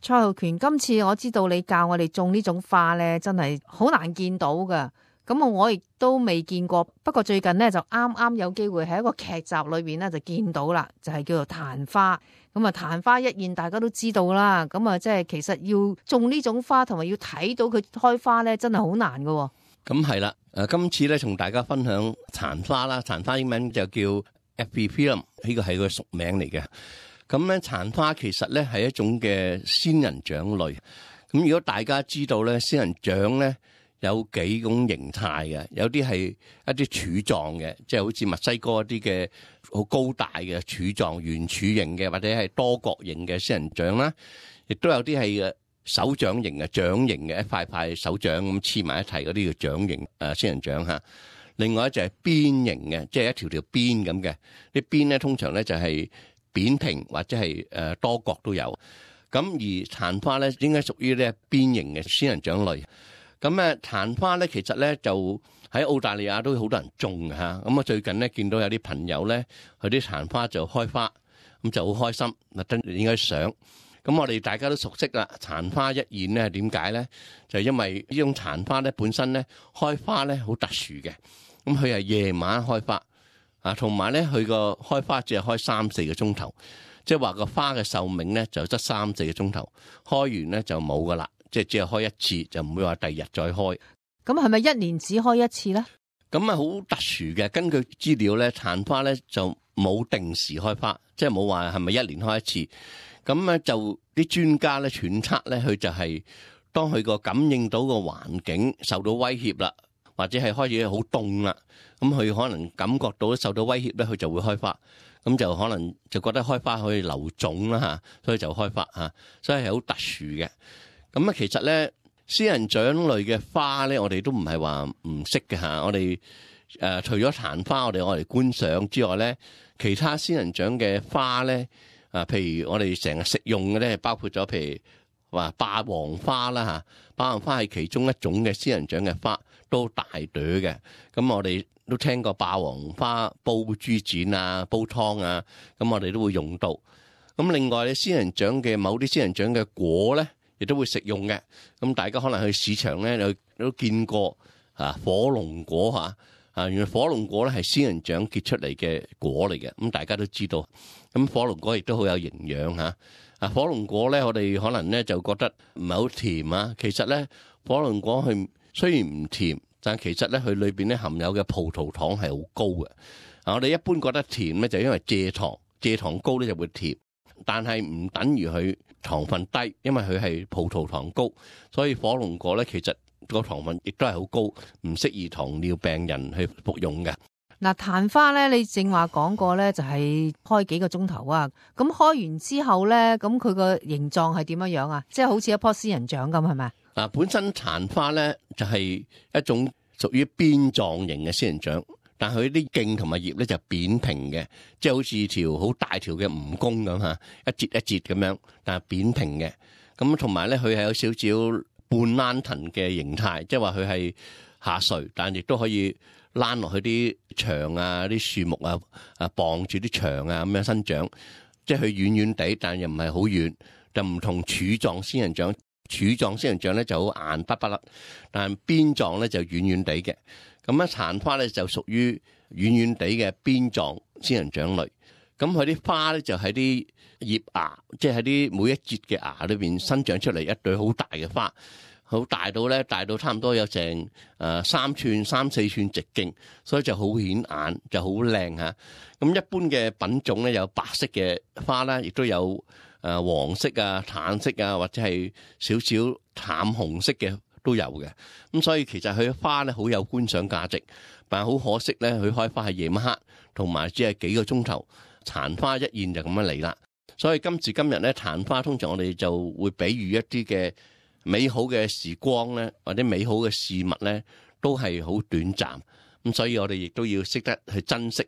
蔡浩權，今次我知道你教我哋種呢種花咧，真係好難見到噶。咁我亦都未見過，不過最近呢，就啱啱有機會喺一個劇集裏邊咧就見到啦，就係叫做曇花。咁啊，曇花一現，大家都知道啦。咁啊，即係其實要種呢種花，同埋要睇到佢開花咧，真係好難噶。咁係啦，今次咧同大家分享曇花啦，曇花英文就叫 Epiphylum， 呢個係個屬名嚟嘅。咁咧曇花其實咧係一種嘅仙人掌類。咁如果大家知道咧，仙人掌咧有幾種形態嘅，有啲係一啲柱狀嘅，即係好似墨西哥一啲嘅好高大嘅柱狀圓柱形嘅，或者係多角形嘅仙人掌啦，亦都有啲係手掌形嘅掌形嘅，一塊塊手掌咁黐埋一齊嗰啲叫掌形仙人掌嚇。另外就係邊形嘅，即係一條條邊咁嘅，啲邊咧通常咧就係扁平或者係多角都有。咁而曇花咧應該屬於咧邊形嘅仙人掌類。咁曇花咧其實咧就喺澳大利亞都好多人種嘅嚇。咁我最近咧見到有啲朋友咧佢啲曇花就開花，咁就好開心，特登影咗相。咁我哋大家都熟悉啦，曇花一現咧點解咧？就係因為呢種曇花咧本身咧開花咧好特殊嘅，咁佢係夜晚開花啊，同埋咧佢個開花只係開3-4個鐘頭，即係話個花嘅壽命咧就得3-4個鐘頭，開完咧就冇噶啦，即係只係開一次，就唔會話第二日再開。咁係咪一年只開一次咧？咁好特殊嘅，根據資料咧，曇花咧就冇定時開花，即係冇話係咪一年開一次。咁咧就啲專家咧揣測咧，佢就係當佢個感應到個環境受到威脅啦，或者係開始好凍啦，咁佢可能感覺到受到威脅咧，佢就會開花。咁就可能就覺得開花可以留種啦嚇，所以就開花嚇，所以係好特殊嘅。咁其實咧仙人掌類嘅花咧，我哋都唔係話唔識嘅嚇。我哋除咗曇花我哋觀賞之外咧，其他仙人掌嘅花咧。譬如我哋成日食用嘅咧，包括咗譬如話霸王花啦嚇，霸王花係其中一種嘅仙人掌嘅花，都大朵嘅。咁我哋都聽過霸王花煲豬展啊、煲湯啊，咁我哋都會用到。咁另外咧，仙人掌嘅某啲仙人掌嘅果咧，亦都會食用嘅。咁大家可能去市場咧，都見過火龍果嚇。原來火龍果咧係仙人掌結出嚟嘅果嚟嘅，咁大家都知道。咁火龍果亦都好有營養嚇。火龍果咧，我哋可能咧就覺得唔係好甜啊。其實咧，火龍果佢雖然唔甜，但其實咧佢裏邊咧含有嘅葡萄糖係好高嘅。我哋一般覺得甜咧，就因為蔗糖高咧就會甜，但係唔等於佢糖分低，因為佢係葡萄糖高，所以火龍果咧其實個糖分亦都係好高，唔適宜糖尿病人去服用嘅。嗱，曇花咧，你正話講過咧，就係開幾個鐘頭啊。咁開完之後咧，咁佢個形狀係點樣樣啊？即係好似一棵仙人掌咁，係咪？本身曇花咧就係一種屬於邊狀型嘅仙人掌，但佢啲莖同埋葉咧就扁平嘅，即係好似條好大條嘅蜈蚣咁嚇，一節一節咁樣，但係扁平嘅。咁同埋咧，佢係有少少半躝藤嘅形態，即係話佢係下垂，但亦都可以躝落去啲牆啊、啲樹木啊、傍住啲牆啊咁樣生長，即係佢遠遠地，但又唔係好遠，就唔同柱狀仙人掌。柱狀仙人掌咧就好硬不甩，但係邊狀咧就遠遠地嘅。咁咧曇花咧就屬於遠遠地嘅邊狀仙人掌類。咁佢啲花咧就喺啲葉芽，即係喺啲每一節嘅芽裏邊生長出嚟一對好大嘅花。好大到咧，大到差唔多有成3寸、3-4寸直徑，所以就好顯眼，就好靚嚇。咁一般嘅品種咧有白色嘅花啦，亦都有黃色啊、淡色啊，或者係少少淡紅色嘅都有嘅。咁所以其實佢嘅花咧好有觀賞價值，但係好可惜咧，佢開花係夜晚黑，同埋只係幾個鐘頭，曇花一現就咁樣嚟啦。所以今時今日咧，曇花通常我哋就會比喻一啲嘅美好嘅時光咧，或者美好嘅事物咧，都係好短暫。咁所以我哋亦都要識得去珍惜。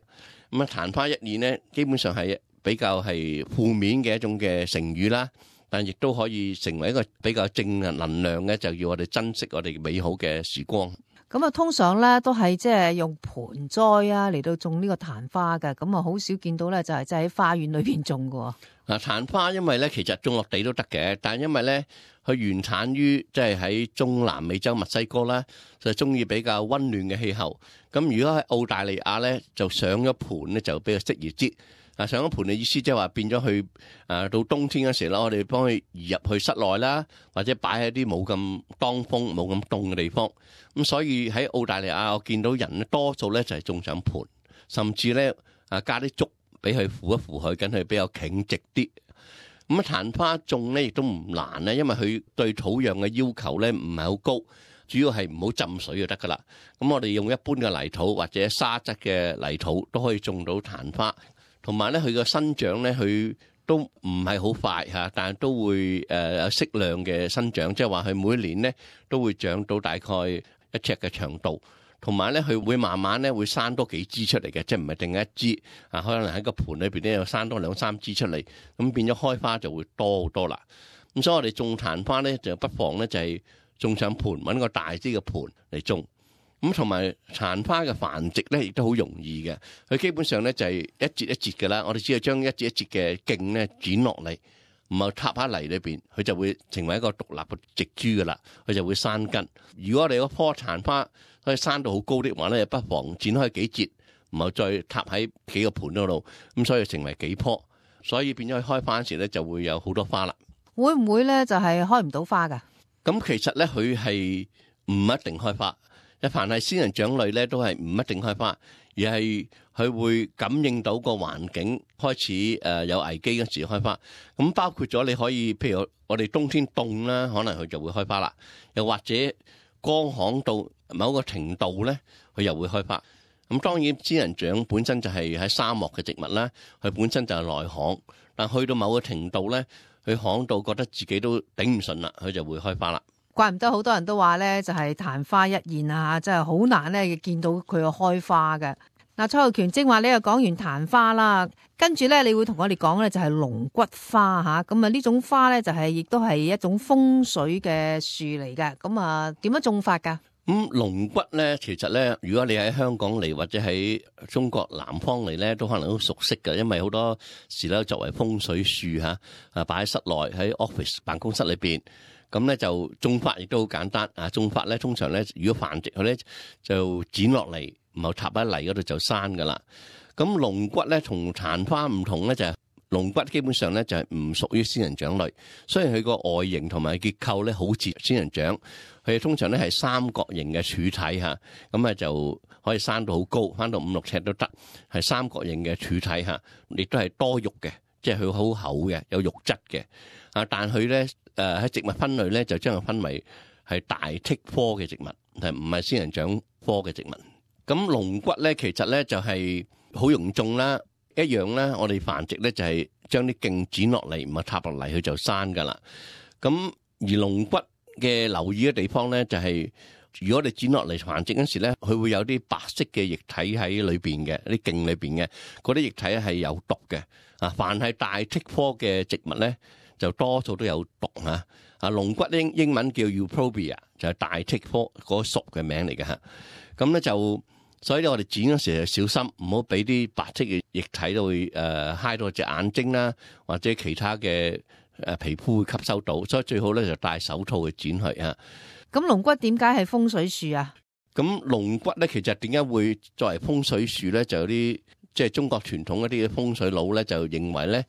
咁曇花一現咧，基本上係比較係負面嘅一種嘅成語啦，但亦都可以成為一個比較正能量嘅，就要我哋珍惜我哋美好嘅時光。咁啊，通常咧都係即係用盆栽啊嚟到種呢個曇花嘅，咁啊好少見到咧就係即係喺花園裏邊種嘅。嗱，曇花因為咧其實種落地都得嘅，但係因為咧佢原產於即係喺中南美洲墨西哥啦，就中意比較溫暖嘅氣候。咁如果喺澳大利亞咧，就上咗盆咧就比較適宜啲。上咗盆嘅意思即係話變咗去到冬天嗰時啦，我哋幫佢移入去室內啦，或者擺喺啲冇咁當風、冇咁凍嘅地方。咁所以喺澳大利亞，我見到人咧多數咧就係種上盆，甚至咧加啲竹俾佢扶一扶佢，跟佢比較挺直啲。咁曇花種咧亦都唔難咧，因為佢對土壤嘅要求咧唔係好高，主要係唔好浸水就得噶啦。咁我哋用一般嘅泥土或者沙質嘅泥土都可以種到曇花。同埋咧，佢個生長咧，佢都唔係好快嚇，但係都會有適量嘅生長，即係話佢每年咧都會長到大概1尺嘅長度。同埋咧，佢會慢慢咧會生多幾支出嚟嘅，即係唔係定一支啊？可能喺個盆裏邊咧又生多2-3支出嚟，咁變咗開花就會多好多啦。咁所以我哋種曇花咧，就不妨咧就係種上盆，揾個大啲嘅盆嚟種。咁同埋曇花嘅繁殖咧，亦都好容易嘅。佢基本上咧就係一節一節嘅啦。我哋只係將一節一節嘅莖咧剪落嚟，唔係插喺泥裏邊，佢就會成為一個獨立嘅植株噶啦。佢就會生根。如果我哋嗰棵曇花可以生到好高的話咧，不妨剪開幾節，唔係再插喺幾個盆嗰度，咁所以成為幾棵，所以變咗佢開花嗰時咧就會有好多花啦。會唔會咧就係開唔到花噶？咁其實咧佢係唔一定開花。凡係仙人掌類咧，都係唔一定開花，而係佢會感應到個環境開始有危機嗰時開花。咁包括咗你可以，譬如我哋冬天凍啦，可能佢就會開花啦。又或者乾旱到某個程度咧，佢又會開花。咁當然仙人掌本身就係喺沙漠嘅植物啦，佢本身就係耐旱，但去到某個程度咧，佢旱到覺得自己都頂唔順啦，佢就會開花啦。怪唔得好多人都話咧，就係曇花一現啊，真係好難咧見到佢個開花嘅。嗱，蔡浩權正話你又講完曇花啦，跟住咧你會同我哋講咧就係龍骨花吓，咁啊呢種花咧就係亦都係一種風水嘅樹嚟嘅。咁啊點樣種法噶？龍骨咧，其實咧，如果你喺香港嚟或者喺中國南方嚟咧，都可能都熟悉嘅，因為好多時咧作為風水樹吓，擺喺室內喺 office 辦公室裏邊。咁咧就種法亦都好簡單啊！種法咧通常咧，如果繁殖佢咧就剪落嚟，然後插喺泥嗰度就生噶啦。咁龍骨咧同曇花唔同咧，就係龍骨基本上咧就係唔屬於仙人掌類。雖然佢個外形同埋結構咧好似仙人掌，佢通常咧係三角形嘅柱體嚇，咁啊就可以生到好高，翻到5-6尺都得，係三角形嘅柱體嚇，亦都係多肉嘅，即係佢好厚嘅，有肉質嘅啊。但佢咧喺植物分類咧，就將佢分為係大戟科嘅植物，係唔係仙人掌科嘅植物。咁龍骨咧，其實咧就係好容易種啦，一樣咧，我哋繁殖咧就係將啲莖剪落嚟，唔係插落嚟，佢就生噶啦。咁而龍骨嘅留意嘅地方咧，就係如果你剪落嚟繁殖嗰時咧，佢會有啲白色嘅液體喺裏邊嘅，啲莖裏邊嘅嗰啲液體係有毒嘅。啊，凡係大戟科嘅植物咧，就多數都有毒嚇。龍骨英文叫 Euphorbia，就係大戟科嗰屬嘅名嚟嘅嚇。咁咧就所以咧，我哋剪嗰時就小心，唔好俾啲白色嘅液體都會揩到隻眼睛啦，或者其他嘅皮膚會吸收到。所以最好咧就戴手套去剪佢嚇。咁龍骨點解係風水樹啊？咁龍骨咧，其實點解會作為風水樹咧？就有啲即係中國傳統一啲嘅風水佬咧，就認為咧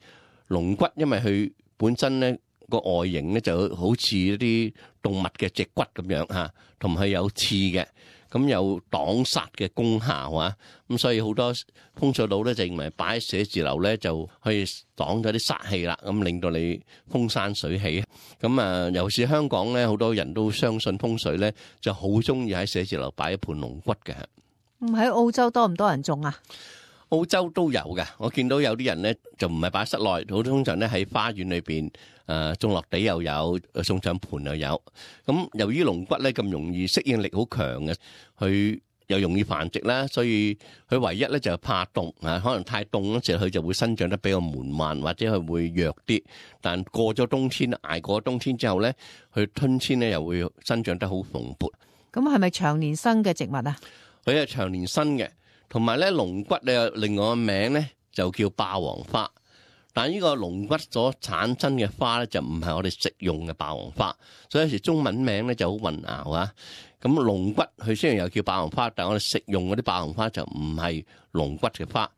龍骨因為佢本身咧個外形咧就好似一啲動物嘅脊骨咁樣嚇，同埋有刺嘅，咁有擋煞嘅功效啊。咁所以好多風水佬咧就認為擺喺寫字樓咧就可以擋咗啲煞氣啦，咁令到你風生水起。咁啊，尤其是香港咧，好多人都相信風水咧，就好中意喺寫字樓擺一盤龍骨嘅。喺澳洲多唔多人種啊？澳洲都有嘅，我見到有啲人咧就唔係擺室內，好通常咧喺花園裏邊種落地又有，送上盤又有。咁由於龍骨咧咁容易適應力好強嘅，佢又容易繁殖啦，所以佢唯一咧就係怕凍啊，可能太凍嗰時佢就會生長得比較緩慢，或者佢會弱啲。但過咗冬天，捱過冬天之後咧，佢春天咧又會生長得好蓬勃。咁係咪長年生嘅植物啊？佢係長年生嘅，同埋咧龍骨咧另外個名咧就叫霸王花。但係呢個龍骨所產生嘅花咧就唔係我哋食用嘅霸王花，所以有時中文名咧就好混淆啊。咁龍骨佢雖然又叫霸王花，但係我哋食用嗰啲霸王花就唔係龍骨嘅花。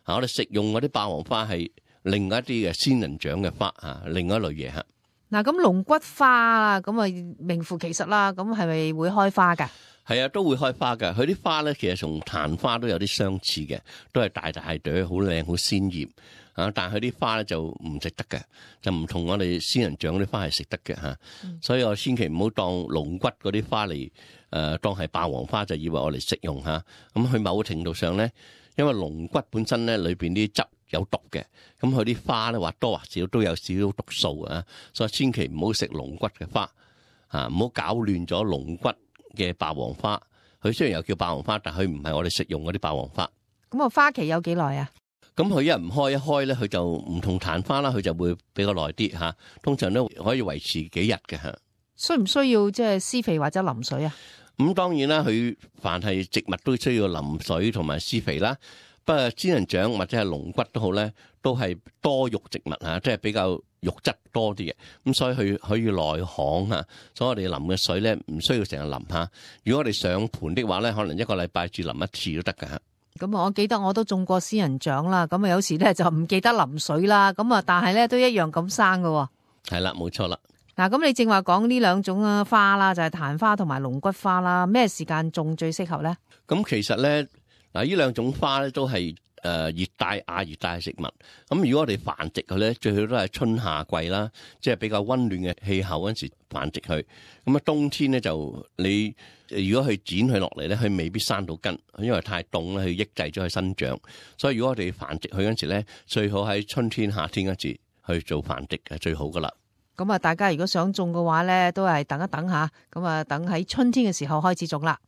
我哋食用嗰啲霸王花係另外一啲嘅仙人掌嘅花啊，另外一類嘢吓。嗱，咁龍骨花啊，咁啊名副其實啦。咁係咪會開花噶？係啊，都會開花噶。佢啲花咧其實同曇花都有啲相似嘅，都係大大朵，好靚，好鮮豔啊。但係佢啲花咧就唔食得嘅，就唔同我哋仙人掌啲花係食得嘅吓。所以我千祈唔好當龍骨嗰啲花嚟當係霸王花，就以為我哋食用吓。咁佢某程度上咧，因為龍骨本身咧裏邊啲汁有毒嘅，咁佢啲花咧或多或少都有少少毒素啊，所以千祈唔好食龍骨嘅花啊，唔好搞亂咗龍骨嘅霸王花。佢雖然又叫霸王花，但佢唔係我哋食用嗰啲霸王花。咁啊，花期有幾耐啊？咁佢一唔開一開咧，佢就唔同曇花啦，佢就會比較耐啲吓。通常都可以維持幾日嘅吓。需唔需要即係施肥或者淋水啊？咁當然啦，佢凡係植物都需要淋水同埋施肥啦。不過仙人掌或者係龍骨都好咧，都係多肉植物吓，即係比較肉質多啲嘅。咁所以佢可以耐旱吓，所以我哋淋嘅水咧唔需要成日淋吓。如果我哋上盤的話咧，可能一個禮拜至淋一次都得噶吓。咁我記得我都種過仙人掌啦，咁啊有時咧就唔記得淋水啦，咁啊但係咧都一樣咁生噶。係啦，冇錯啦。嗱，咁你正話講呢兩種花啦，就係曇花同埋龍骨花啦，咩時間種最適合咧？咁其實咧，嗱呢兩種花咧都係熱帶亞熱帶嘅植物。咁如果我哋繁殖佢咧，最好都係春夏季啦，即係比較溫暖嘅氣候嗰陣時繁殖佢。咁啊冬天咧就你如果去剪佢落嚟咧，佢未必生到根，因為太凍咧，佢抑制咗佢生長。所以如果我哋繁殖佢嗰陣時咧，最好喺春天夏天嗰時去做繁殖係最好噶啦。咁啊，大家如果想種嘅話咧，都係等一等下，咁啊等喺春天嘅時候開始種啦。